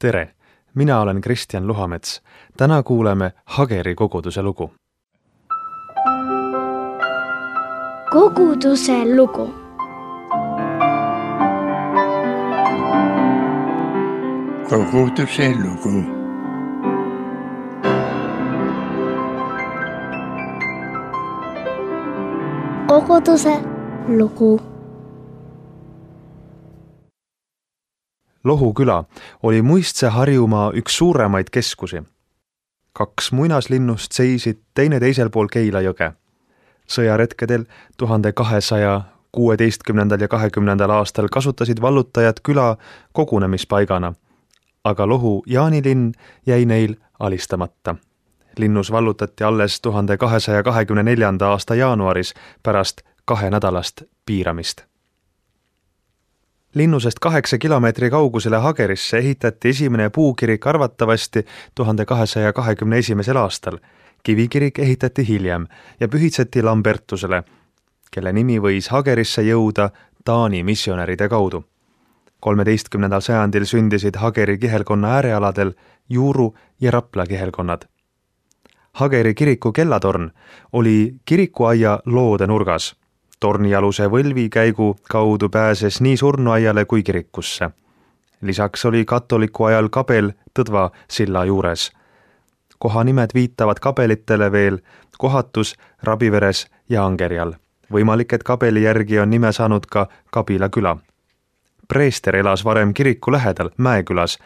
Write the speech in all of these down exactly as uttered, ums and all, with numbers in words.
Tere, mina olen Kristjan Luhamets. Täna kuuleme Hageri koguduse lugu. Koguduse lugu. Koguduse lugu. Koguduse lugu. Lohu küla oli Muistse Harjumaa üks suuremaid keskusi. Kaks muinaslinnust seisid teine teisel pool Keila jõge. Sõjaretkedel tuhande kahesaja kuueteistkümnendal ja kahekümnendal aastal kasutasid vallutajad küla kogunemispaigana, aga Lohu Jaanilinn jäi neil alistamata. Linnus vallutati alles tuhande kahesaja kahekümne neljanda aasta jaanuaris pärast kahe nädalast piiramist. Linnusest kaheksa kilomeetri kaugusele Hagerisse ehitati esimene puukirik arvatavasti tuhande kahesaja kahekümne esimesel aastal. Kivikirik ehitati hiljem ja pühitseti Lambertusele, kelle nimi võis Hagerisse jõuda Taani missionäride kaudu. kolmeteistkümnendal sajandil sündisid Hageri kihelkonna äärealadel Juuru ja Rapla kihelkonnad. Hageri kiriku kellatorn oli kirikuaia loode nurgas. Tornialuse võlvikäigu kaudu pääses nii surnuaiale kui kirikusse. Lisaks oli katoliku ajal kabel Tõdva silla juures. Kohanimed viitavad kabelitele veel Kohatus, Rabiveres ja Angerjal. Võimalik, et kabeli järgi on nime saanud ka Kabila küla. Preester elas varem kiriku lähedal Mäekülas,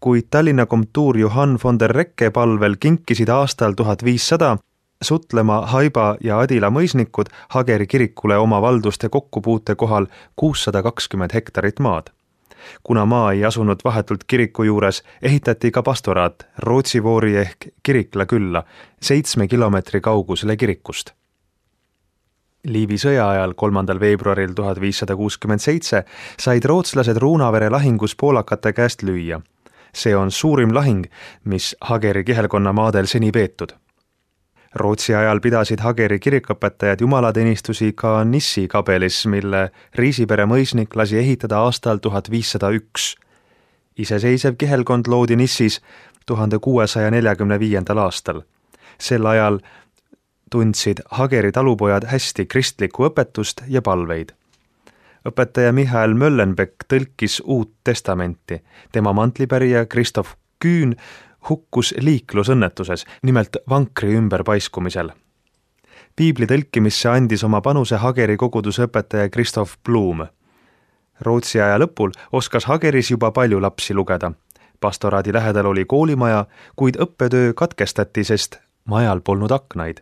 kuid Tallinna komtuur Johann von der Recke palvel kinkisid aastal tuhat viissada Sutlema, Haiba ja Adila mõisnikud Hageri kirikule oma valduste kokkupuute kohal kuussada kakskümmend hektarit maad. Kuna maa ei asunud vahetult kiriku juures, ehitati ka pastoraat Rootsivoori ehk Kirikla külla seitsme kilomeetri kaugusele kirikust. Liivi sõja ajal kolmandal veebruaril tuhat viissada kuuskümmend seitse said rootslased Ruunavere lahingus poolakate käest lüüa. See on suurim lahing, mis Hageri kihelkonna maadel seni peetud. Rootsi ajal pidasid Hageri kirikõpetajad jumalateenistusi ka Nissi kabelis, mille Riisipere mõisnik lasi ehitada aastal tuhat viissada üks. Iseseisev kihelkond loodi Nissis tuhande kuuesaja neljakümne viiendal aastal. Sel ajal tundsid Hageri talupojad hästi kristlikku õpetust ja palveid. Õpetaja Michael Möllenbeck tõlkis Uut testamenti. Tema mantlipärija Kristof Küün hukkus liiklusõnnetuses, nimelt vankri ümberpaiskumisel. Piibli tõlkimisse andis oma panuse Hageri koguduse õpetaja Kristof Blum. Rootsi aja lõpul oskas Hageris juba palju lapsi lugeda. Pastoraadi lähedal oli koolimaja, kuid õppetöö katkestati, sest majal polnud aknaid.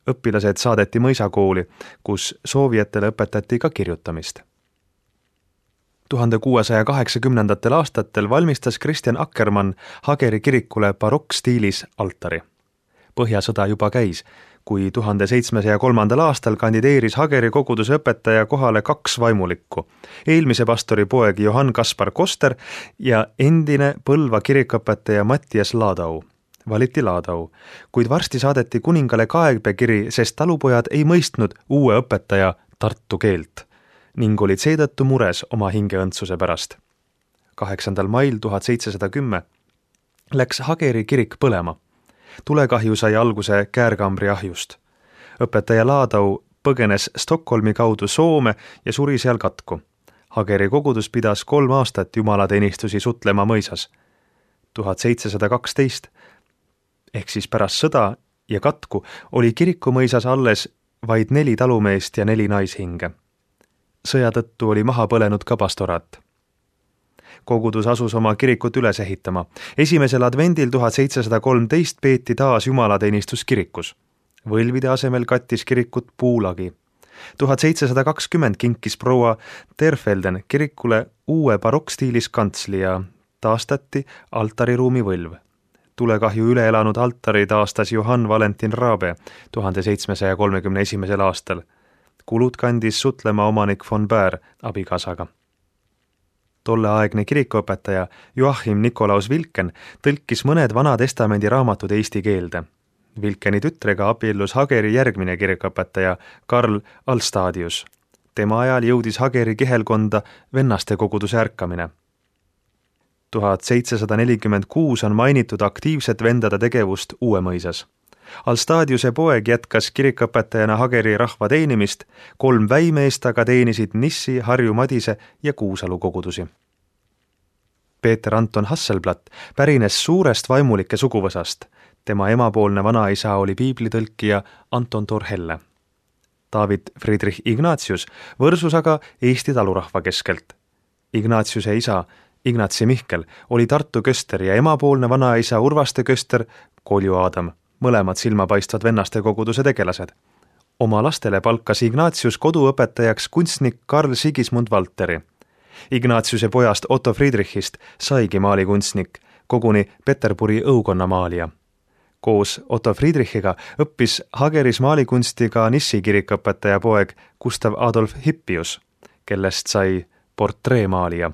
Õpilased saadeti mõisakooli, kus soovijatele õpetati ka kirjutamist. tuhande kuuesaja kaheksakümnendatel aastatel valmistas Kristjan Akkermann Hageri kirikule barokkstiilis altari. Põhjasõda juba käis, kui tuhande seitsmesaja kolmandal aastal kandideeris Hageri koguduse õpetaja kohale kaks vaimulikku. Eelmise pastori poeg Johann Kaspar Koster ja endine Põlva kirikõpetaja Mattias Laadau. Valiti Laadau, kuid varsti saadeti kuningale kaebekiri, sest talupojad ei mõistnud uue õpetaja tartu keelt ning olid seetõttu mures oma hingeõndsuse pärast. kaheksandal mail tuhat seitsesada kümme läks Hageri kirik põlema. Tulekahju sai alguse Käärkambri ahjust. Õpetaja Laadau põgenes Stockholmi kaudu Soome ja suri seal katku. Hageri kogudus pidas kolm aastat jumalateenistusi Sutlema mõisas. tuhat seitsesada kaksteist ehk siis pärast sõda ja katku oli kirikumõisas alles vaid neli talumeest ja neli naishinge. Sõja tõttu oli maha põlenud ka pastoraat. Kogudus asus oma kirikut üles ehitama. Esimesel advendil tuhat seitsesada kolmteist peeti taas jumalateenistus kirikus. Võlvide asemel kattis kirikut puulagi. tuhat seitsesada kakskümmend kinkis proua Terfelden kirikule uue barokkstiilis kantsli ja taastati altariruumi võlv. Tulekahju üle elanud altari taastas Johann Valentin Raabe tuhande seitsmesaja kolmekümne esimesel aastal. Kulud kandis Sutlema omanik von Bär abikaasaga. Tolleaegne kirikuõpetaja Joachim Nikolaus Vilken tõlkis mõned Vana Testamendi raamatud eesti keelde. Vilkeni tütrega abiellus Hageri järgmine kirikuõpetaja Karl Alstadius. Tema ajal jõudis Hageri kihelkonda vennaste koguduse ärkamine. tuhat seitsesada nelikümmend kuus on mainitud aktiivset vendade tegevust Uuemõisas. Alstadiuse poeg jätkas kirikõpetajana Hageri rahva teenimist, kolm väimeest aga teenisid Nissi, Harju Madise ja Kuusalu kogudusi. Peeter Anton Hasselblatt pärines suurest vaimulike suguvõsast. Tema emapoolne vanaisa oli piiblitõlkija Anton Torhelle. David Friedrich Ignatius võrsus aga Eesti talurahva keskelt. Ignatiuse isa Ignatsi Mihkel oli Tartu köster ja emapoolne vanaisa Urvaste köster Kolju Aadam, mõlemad silmapaistvad vennaste koguduse tegelased. Oma lastele palkas Ignatius koduõpetajaks kunstnik Karl Sigismund Valteri. Ignatiuse pojast Otto Friedrichist saigi maalikunstnik, koguni Peterburi õukonna maalija. Koos Otto Friedrichiga õppis Hageris maalikunsti ka Nissi kirikõpetaja poeg Gustav Adolf Hippius, kellest sai portreemaalija.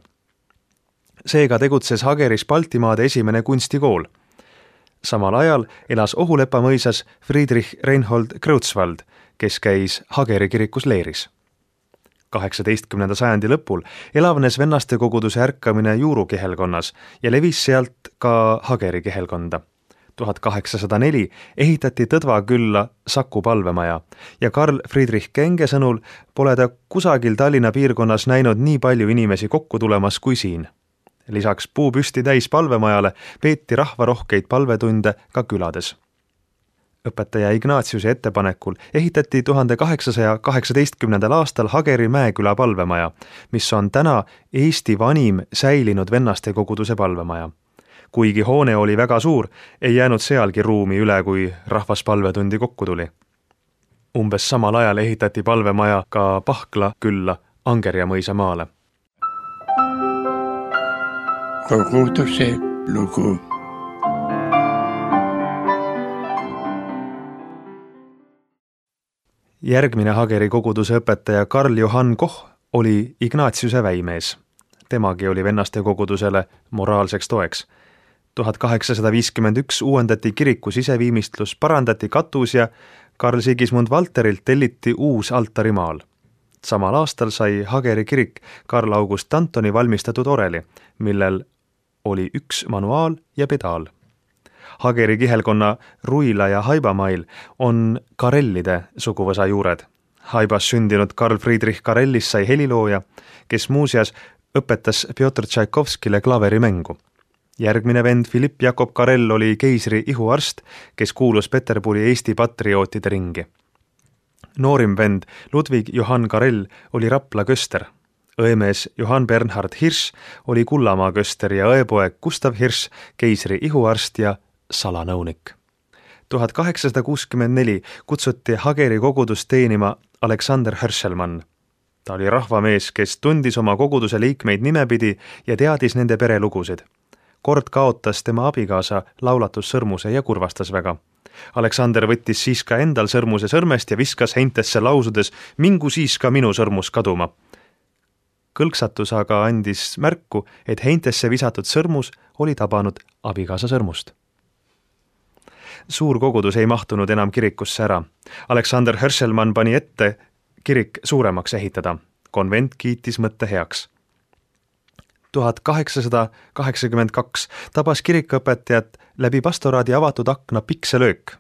Seega tegutses Hageris Baltimaade esimene kunstikool. Samal ajal elas Ohulepa mõisas Friedrich Reinhold Kreutzwald, kes käis Hageri kirikus leeris. kaheksateistkümnenda sajandi lõpul elavnes vennaste koguduse ärkamine Juuru kihelkonnas ja levis sealt ka Hageri kihelkonda. tuhat kaheksasada neli ehitati Tõdva külla Saku palvemaja ja Karl Friedrich Kenge sõnul pole ta kusagil Tallinna piirkonnas näinud nii palju inimesi kokku tulemas kui siin. Lisaks puupüsti täis palvemajale peeti rahvarohkeid palvetunde ka külades. Õpetaja Ignatiuse ettepanekul ehitati tuhande kaheksasaja kaheksateistkümnendal aastal Hageri Mäeküla palvemaja, mis on täna Eesti vanim säilinud vennaste koguduse palvemaja. Kuigi hoone oli väga suur, ei jäänud sealgi ruumi üle, kui rahvas palvetundi kokku tuli. Umbes samal ajal ehitati palvemaja ka Pahkla külla Angerja mõisa maale. Koguduse lugu. Järgmine Hageri koguduse õpetaja Karl Johann Koch oli Ignatiuse väimees. Temagi oli vennaste kogudusele moraalseks toeks. tuhat kaheksasada viiskümmend üks uuendati kiriku siseviimistlus, parandati katus ja Karl Sigismund Valterilt telliti uus altarimaal. Samal aastal sai Hageri kirik Karl August Antoni valmistatud oreli, millel oli üks manuaal ja pedaal. Hageri kihelkonna Ruila ja Haibamail on Karellide suguvõsa juured. Haibas sündinud Karl Friedrich Karellis sai helilooja, kes muuseas õpetas Pjotr Tšaikovskile klaverimängu. Järgmine vend Philipp Jakob Karell oli keisri ihuarst, kes kuulus Peterburi Eesti patriootide ringi. Noorim vend Ludwig Johann Karell oli Rapla köster. Õemees Johann Bernhard Hirsch oli Kullamaa köster ja õepoeg Gustav Hirsch keisri ihuarst ja salanõunik. tuhat kaheksasada kuuskümmend neli kutsuti Hageri kogudust teenima Alexander Hörselmann. Ta oli rahvamees, kes tundis oma koguduse liikmeid nimepidi ja teadis nende perelugusid. Kord kaotas tema abikaasa laulatussõrmuse ja kurvastas väga. Alexander võttis siis ka endal sõrmuse sõrmest ja viskas heintesse lausudes, mingu siis ka minu sõrmus kaduma. Kõlksatus aga andis märku, et heintesse visatud sõrmus oli tabanud abikaasa sõrmust. Suur kogudus ei mahtunud enam kirikusse ära. Alexander Hörselmann pani ette kirik suuremaks ehitada. Konvent kiitis mõtte heaks. tuhat kaheksasada kaheksakümmend kaks tabas kirikõpetajat läbi pastoraadi avatud akna pikselöök.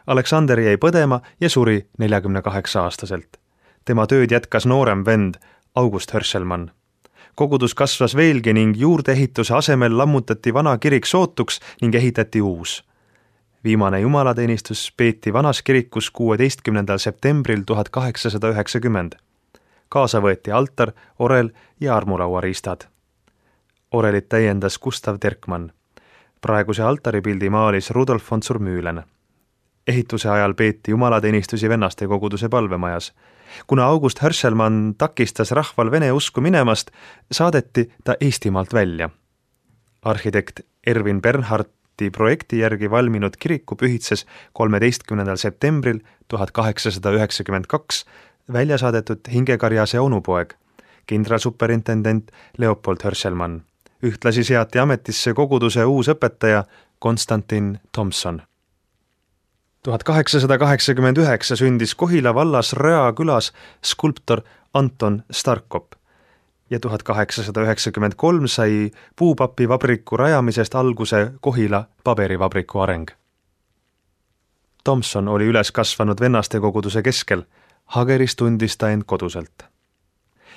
Alexander jäi põdema ja suri neljakümne kaheksa aastaselt. Tema tööd jätkas noorem vend August Hörselmann. Kogudus kasvas veelgi ning juurdeehituse asemel lammutati vana kirik sootuks ning ehitati uus. Viimane jumalateenistus peeti vanas kirikus kuueteistkümnendal septembril tuhat kaheksasada üheksakümmend. Kaasa võeti altar, orel ja armulauariistad. Orelit täiendas Gustav Terkmann. Praeguse altaripildi maalis Rudolf von Zurmühlen. Ehituse ajal peeti jumalateenistusi vennaste koguduse palvemajas. Kuna August Hörselmann takistas rahval vene usku minemast, saadeti ta Eestimaalt välja. Arhitekt Erwin Bernhardti projekti järgi valminud kiriku pühitses kolmeteistkümnendal septembril tuhat kaheksasada üheksakümmend kaks välja saadetud hingekarjase onupoeg, kindralsuperintendent Leopold Hörselmann. Ühtlasi seati ametisse koguduse uus õpetaja Konstantin Tomson. tuhat kaheksasada kaheksakümmend üheksa sündis Kohila vallas Röa külas skulptor Anton Starkop. ja tuhat kaheksasada üheksakümmend kolm sai puupapivabriku rajamisest alguse Kohila paberivabriku areng. Tomson oli üles kasvanud vennaste koguduse keskel, Hageris tundis ta end koduselt.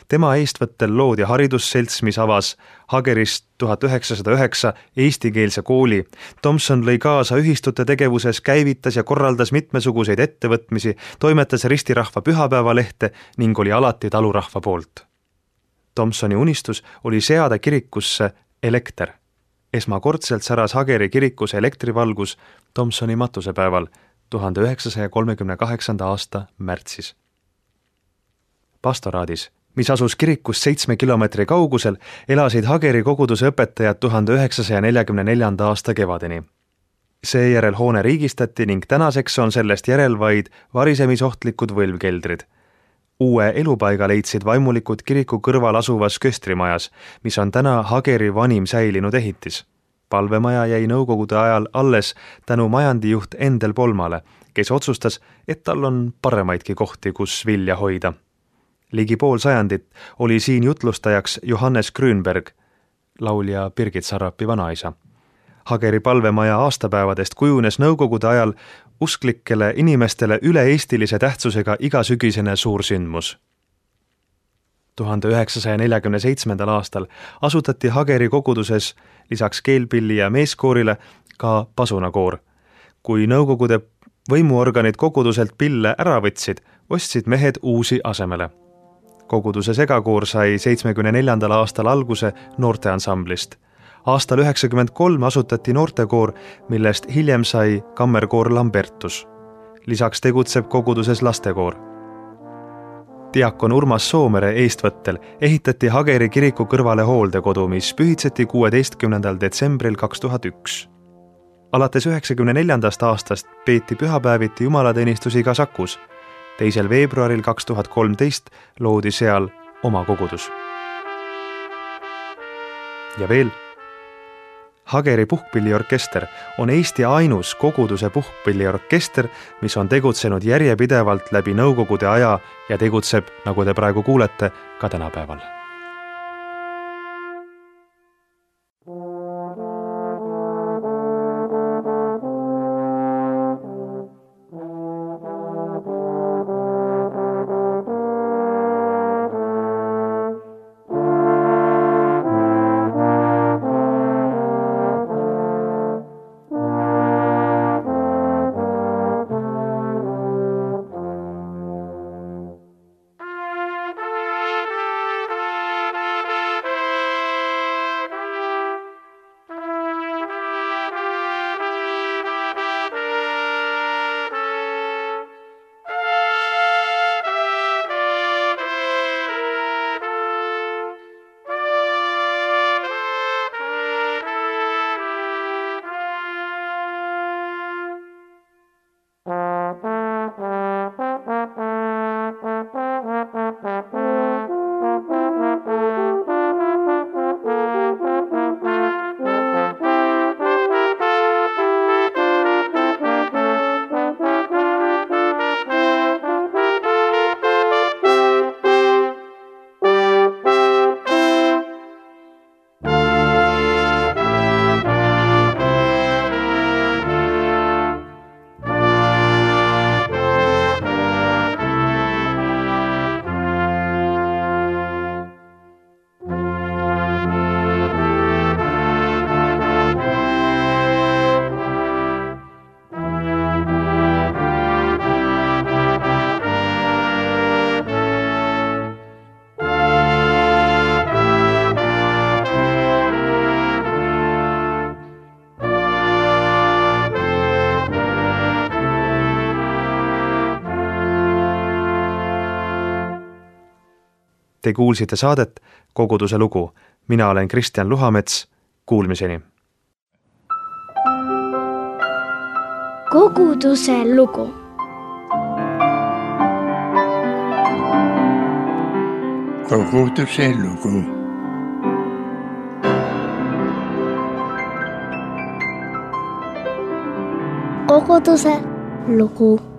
Tema eestvõttel loodi haridusselts, mis avas Hageris tuhat üheksasada üheksa eestikeelse kooli. Tomson lõi kaasa ühistute tegevuses, käivitas ja korraldas mitmesuguseid ettevõtmisi, toimetas ristirahva pühapäevalehte ning oli alati talurahva poolt. Tomsoni unistus oli seada kirikusse elekter. Esmakordselt säras Hageri kirikus elektrivalgus Tomsoni matusepäeval tuhande üheksasaja kolmekümne kaheksanda aasta märtsis. Pastoraadis, mis asus kirikust seitsme kilomeetri kaugusel, elasid Hageri koguduse õpetajad tuhande üheksasaja neljakümne neljanda aasta kevadeni. Seejärel hoone riigistati ning tänaseks on sellest järel vaid varisemisohtlikud võlvkeldrid. Uue elupaiga leidsid vaimulikud kiriku kõrval asuvas köstrimajas, mis on täna Hageri vanim säilinud ehitis. Palvemaja jäi nõukogude ajal alles tänu majandijuht Endel Polmale, kes otsustas, et tal on paremaidki kohti, kus vilja hoida. Ligi pool sajandit oli siin jutlustajaks Johannes Grünberg, laulja Birgit Sarrapi vanaisa. Hageri palvemaja aastapäevadest kujunes nõukogude ajal usklikele inimestele üle-eestilise tähtsusega igasügisene suursündmus. tuhande üheksasaja neljakümne seitsmendal aastal asutati Hageri koguduses lisaks keelpilli ja meeskoorile ka pasunakoor. Kui nõukogude võimuorganid koguduselt pille ära võtsid, ostsid mehed uusi asemele. Koguduse segakoor sai seitsmekümne neljandal aastal alguse noorteansamblist. Aastal üheksakümmend kolm asutati noortekoor, millest hiljem sai kammerkoor Lambertus. Lisaks tegutseb koguduses lastekoor. Diakon Urmas Soomere eestvõttel ehitati Hageri kiriku kõrvale hooldekodu, mis pühitseti kuueteistkümnendal detsembril kaks tuhat üks. Alates üheksakümne neljandast aastast peeti pühapäeviti jumalateenistusi ka Sakus. Teisel veebruaril kaks tuhat kolmteist loodi seal oma kogudus. Ja veel, Hageri puhkpilliorkester on Eesti ainus koguduse puhkpilliorkester, mis on tegutsenud järjepidevalt läbi nõukogude aja ja tegutseb, nagu te praegu kuulete, ka tänapäeval. Te kuulsite saadet Koguduse lugu. Mina olen Kristjan Luhamets. Kuulmiseni. Koguduse lugu. Koguduse lugu. Koguduse lugu.